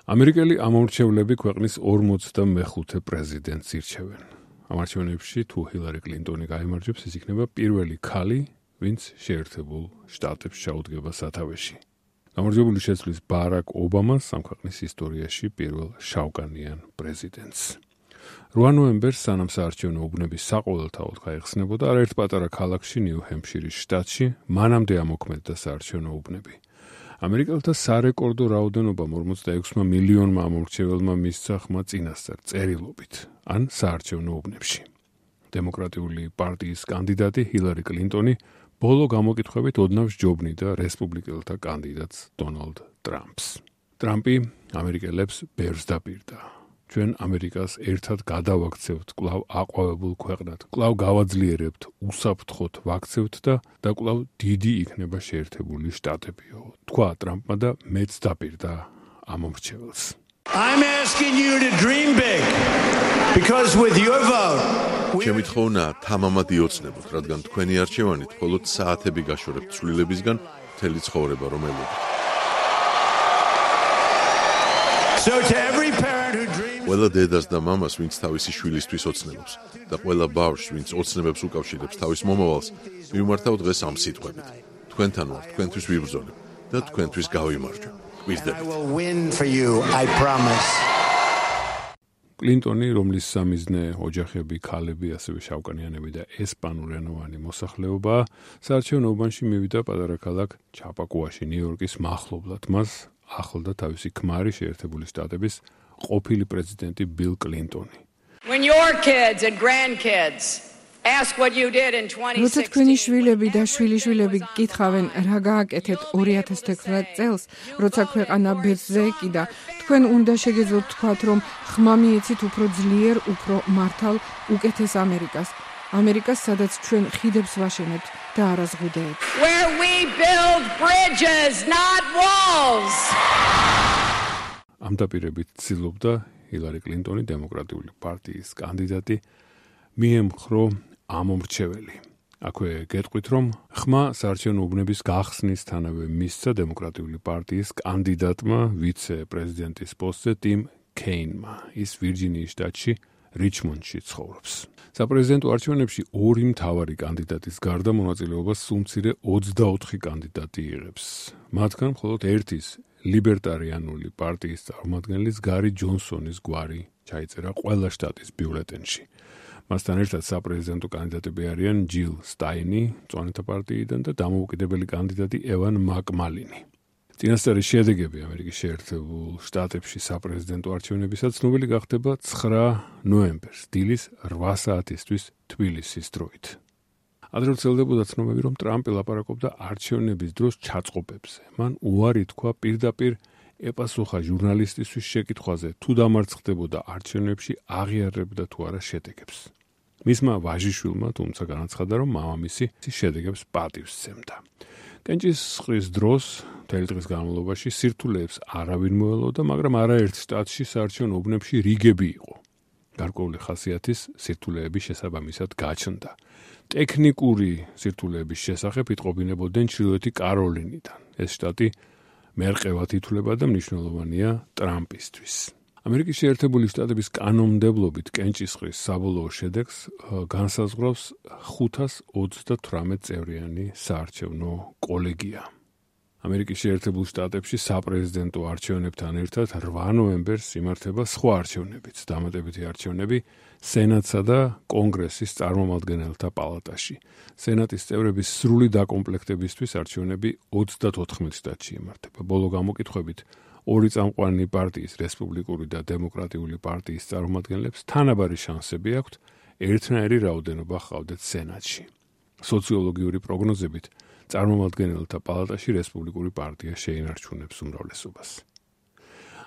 ამერიკელი ამომრჩევლები ქვეყნის 45 პრეზიდენტს ირჩევენ. ამ არჩევნებში თუ ჰილარი კლინტონი გაიმარჯვებს, ის იქნება პირველი ქალი, ვინც შეერთებულ შტატებს ჩაუდგება სათავეში. გამარჯვებული შეცვლის ბარაკ ობამას ამ ქვეყნის ისტორიაში პირველ შავკანიან პრეზიდენტს. 8 ნოემბერს სანამ საარჩევნო უბნები საყოველთაოდ გაიხსნებოდა, არაერთ პატარა ქალაქში ნიუ-ჰემფშირის შტატში მანამდე ამოქმედდა საარჩევნო უბნები. ამერიკელთა სარეკორდო რაოდენობამ 46 მილიონმა ამომრჩეველმა მისცა ხმა წინასწარ წერილობით ან საარჩევნო უბნებში. დემოკრატიული პარტიის კანდიდატი ჰილარი კლინტონი ბოლო გამოკითხვებით ოდნავ სჯობნიდა რესპუბლიკელთა კანდიდატს დონალდ ტრამპს. ტრამპი ამერიკელებს ბერს დაპირდა. ჩვენ ამერიკას ერთად გადავაქცევთ კვლავ აყვავებულ ქვეყნად, კვლავ გავაძლიერებთ, უსაფრთხოდ ვაქცევთ და კვლავ დიდი იქნება შეერთებული შტატებიო. თქვა ტრამპმა და მეც დაპირდა ამომრჩეველს. I'm asking you to dream big because with your vote ჩემი თხოვნა თამამად იოცნებოთ, რადგან თქვენი არჩევანით მხოლოდ საათები გაშორებთ ცვლილებისგან მთელი ცხოვრება რომ ელოდოთ. So to every parent who dreams ყველა დედას და მამას, ვინც თავისი შვილისთვის ოცნებობს და ყველა ბავშვს, ვინც ოცნებებს უკავშირებს თავის მომავალს, მივმართავ დღეს ამ სიტყვებით. თქვენთან ვარ, თქვენთვის ვიბრძოლებ და თქვენთვის გავიმარჯვებ. I will win for you, I promise. კლინტონი, რომლის სამიზნე ოჯახები, ქალები, ასევე შავკანიანები და ესპანურენოვანი მოსახლეობაა, საარჩევნო უბანში მივიდა პატარა ქალაქ ჩაპაკუაში, ნიუ-იორკის მახლობლად. მას ახლდა თავისი ქმარი შეერთებული შტატების ყოფილი პრეზიდენტი ბილ კლინტონი. When your kids and grandkids ask what you did in 2016. როცა თქვენი შვილები და შვილიშვილები გკითხავენ, რა გააკეთეთ 2019 წელს, როცა ქვეყანა ბედზე ეკიდა, თქვენ უნდა შეგეძლოთ თქვათ, რომ ხმა მიეცით უფრო ძლიერ, უფრო მართალ, უკეთეს ამერიკას. ამერიკას, სადაც ჩვენ ხიდებს ვაშენებთ და არა ზღუდეებს. Where we build bridges, not walls. ამ დაპირებით ცდილობდა ჰილარი კლინტონი, დემოკრატიული პარტიის კანდიდატი, მიემხრო ამომრჩეველი. აქვე გეტყვით, რომ ხმა საარჩევნო უბნების გახსნისთანავე მისცა დემოკრატიული პარტიის კანდიდატმა ვიცე-პრეზიდენტის პოსტზე ტიმ კეინმა. ის ვირჯინიის შტატში რიჩმონდში ცხოვრობს. საპრეზიდენტო არჩევნებში ორი მთავარი კანდიდატის გარდა მონაწილეობას სულ მცირე 24 კანდიდატი იღებს. მათგან მხოლოდ ერთის ლიბერტარიანული პარტიის წარმომადგენლის გარი ჯონსონის გვარი ჩაიწერა ყველა შტატის ბიულეტენში. მასთან ერთად საპრეზიდენტო კანდიდატები არიან ჯილ სტაინი, მწვანეთა პარტიიდან და დამოუკიდებელი კანდიდატი ევან მაკმალინი. წინასწარი შედეგები ამერიკის შეერთებულ შტატებში საპრეზიდენტო არჩევნებისაც ცნობილი გახდება 9 ნოემბერს, დილის 8 საათისთვის თბილისის დროით. ადრე ვრცელდებოდა ცნობები, რომ ტრამპი ლაპარაკობდა არჩევნების დროს ჩაწყობებზე. მან უარი თქვა პირდაპირ ეპასუხა ჟურნალისტისთვის შეკითხვაზე, თუ დამარცხდებოდა არჩევნებში, აღიარებდა თუ არა შედეგებს. მისმა ვაჟიშვილმა თუმცა განაცხადა, რომ მამამისი შედეგებს პატივს სცემდა. კენჭისყრის დროს მთელი დღის განმავლობაში სირთულეებს არავინ მოელოდა, მაგრამ არაერთ შტატში საარჩევნო უბნებში რიგები იყო. გარკვეული ხასიათის სირთულეების შესაბამისად გაჩნდა. ტექნიკური სირთულეების შესახებ იტყობინებოდნენ ჩრდილოეთი კაროლინიდან. ეს შტატი მერყევად ითვლება და მნიშვნელოვანია ტრამპისთვის. ამერიკის შეერთებული შტატების კანონმდებლობით კენჭისყრის საბოლოო შედეგს განსაზღვრავს 528 წევრიანი საარჩევნო კოლეგია. ამერიკის შეერთებულ შტატებში საპრეზიდენტო არჩევნებთან ერთად 8 ნოემბერს იმართება სხვა არჩევნებიც, დამატებითი არჩევნები სენატსა და კონგრესის წარმომადგენელთა პალატაში. სენატის წევრების სრული დაკომპლექტებისთვის არჩევნები 34 შტატში იმართება. ბოლო გამოკითხვებით ორი წამყვანი პარტიის, რესპუბლიკური და დემოკრატიული პარტიის წარმომადგენლებს თანაბარი შანსები აქვთ ერთნაირი რაოდენობა ჰყავდეთ სენატში. სოციოლოგიური პროგნოზებით წარმომადგენელთა პალატაში რესპუბლიკური პარტია შეინარჩუნებს უმრავლესობას.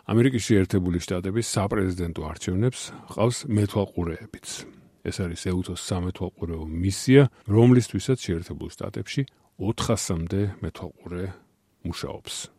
ამერიკის შეერთებული შტატების საპრეზიდენტო არჩევნებს ჰყავს მეთვალყურეებიც. ეს არის ეუთოს სამეთვალყურეო მისია, რომლისთვისაც შეერთებულ შტატებში 400-მდე მეთვალყურე მუშაობს.